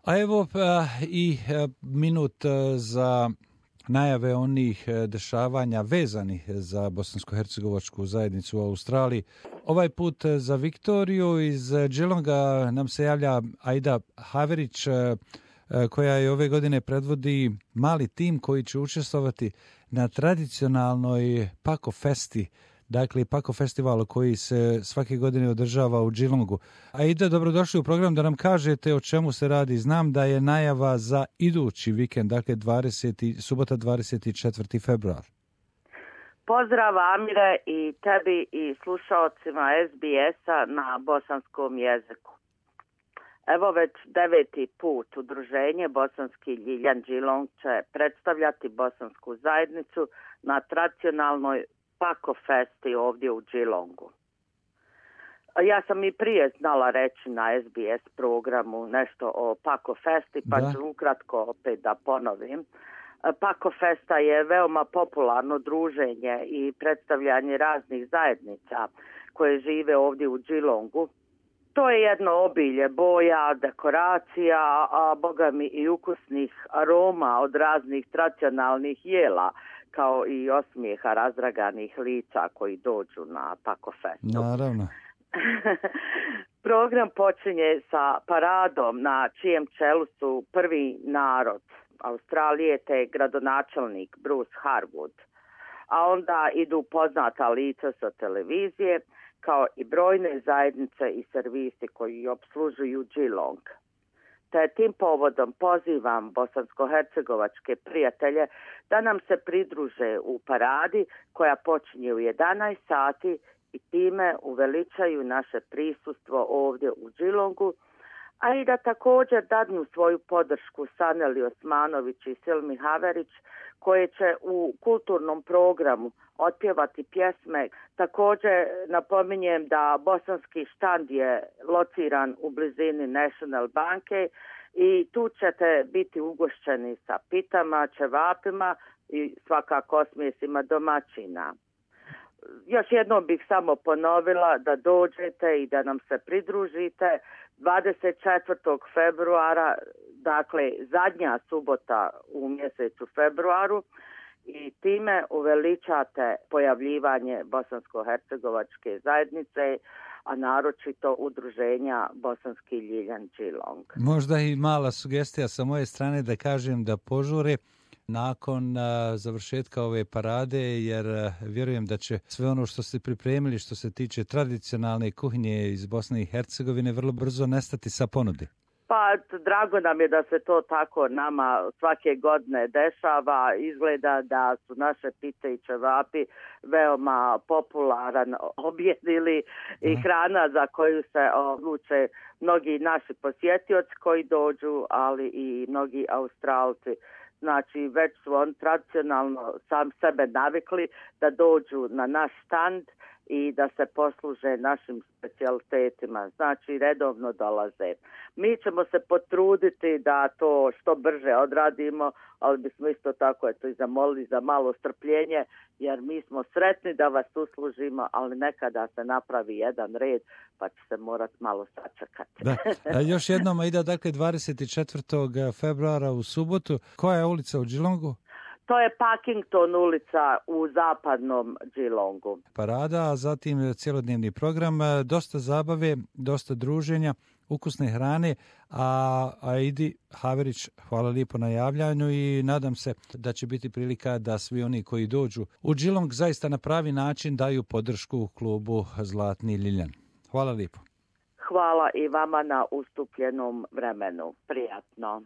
A evo i minut za najave onih dešavanja vezanih za bosansko-hercegovačku zajednicu u Australiji. Ovaj put za Viktoriju iz Geelonga nam se javlja Aida Haverić, koja je ove godine predvodi mali tim koji će učestvovati na tradicionalnoj Paco Festi, dakle Paco festivalu koji se svake godine održava u Geelongu. Aida, dobrodošli u program da nam kažete o čemu se radi. Znam da je najava za idući vikend, dakle subota 24. februar. Pozdrav Amire i tebi i slušaocima SBS-a na bosanskom jeziku. Evo već 9. put udruženje Bosanski Ljiljan Geelong će predstavljati bosansku zajednicu na tradicionalnoj Paco Festi ovdje u Geelongu. Ja sam i prije znala reći na SBS programu nešto o Paco Festi, pa ću ukratko opet da ponovim. Paco Festa je veoma popularno druženje i predstavljanje raznih zajednica koje žive ovdje u Geelongu. To je jedno obilje boja, dekoracija, a bogami i ukusnih aroma od raznih tradicionalnih jela, kao i osmijeha razdraganih lica koji dođu na Paco Festu. Naravno. Program počinje sa paradom na čijem čelu su prvi narod Australije te gradonačelnik Bruce Harwood, a onda idu poznata lica sa televizije kao i brojne zajednice i servisi koji opslužuju Geelong. Te tim povodom pozivam bosansko-hercegovačke prijatelje da nam se pridruže u paradi koja počinje u 11 sati i time uveličaju naše prisustvo ovdje u Geelongu, a i da također dadnu svoju podršku Saneli Osmanović i Silmi Haverić, koje će u kulturnom programu otpjevati pjesme. Također napominjem da bosanski štand je lociran u blizini National banke i tu ćete biti ugošćeni sa pitama, ćevapima i svakako osmijesima domaćina. Još jednom bih samo ponovila da dođete i da nam se pridružite 24. februara, dakle zadnja subota u mjesecu februaru, i time uveličate pojavljivanje bosansko-hercegovačke zajednice, a naročito udruženja Bosanski Ljiljan Geelong. Možda i mala sugestija sa moje strane da kažem da požure nakon završetka ove parade, jer vjerujem da će sve ono što ste pripremili što se tiče tradicionalne kuhinje iz Bosne i Hercegovine vrlo brzo nestati sa ponudi. Pa drago nam je da se to tako nama svake godine dešava. Izgleda da su naše pite i ćevapi veoma popularan objed ili i hrana za koju se odluče mnogi naši posjetioci koji dođu, ali i mnogi Australci. Znači, već su oni tradicionalno sam sebe navikli da dođu na naš štand i da se posluže našim specijalitetima. Znači, redovno dolaze. Mi ćemo se potruditi da to što brže odradimo, ali bismo isto tako i zamolili za malo strpljenje, jer mi smo sretni da vas uslužimo, ali nekada se napravi jedan red, pa će se morati malo sačekati. Da. Još jednom, Aida, dakle 24. februara u subotu. Koja je ulica u Geelongu? To je Parkington ulica u zapadnom Geelongu. Parada, a zatim cjelodnevni program, dosta zabave, dosta druženja, ukusne hrane, a Aidi Haverić, hvala lijepo na javljanju i nadam se da će biti prilika da svi oni koji dođu u Geelong zaista na pravi način daju podršku klubu Zlatni Ljiljan. Hvala lijepo. Hvala i vama na ustupljenom vremenu. Prijatno.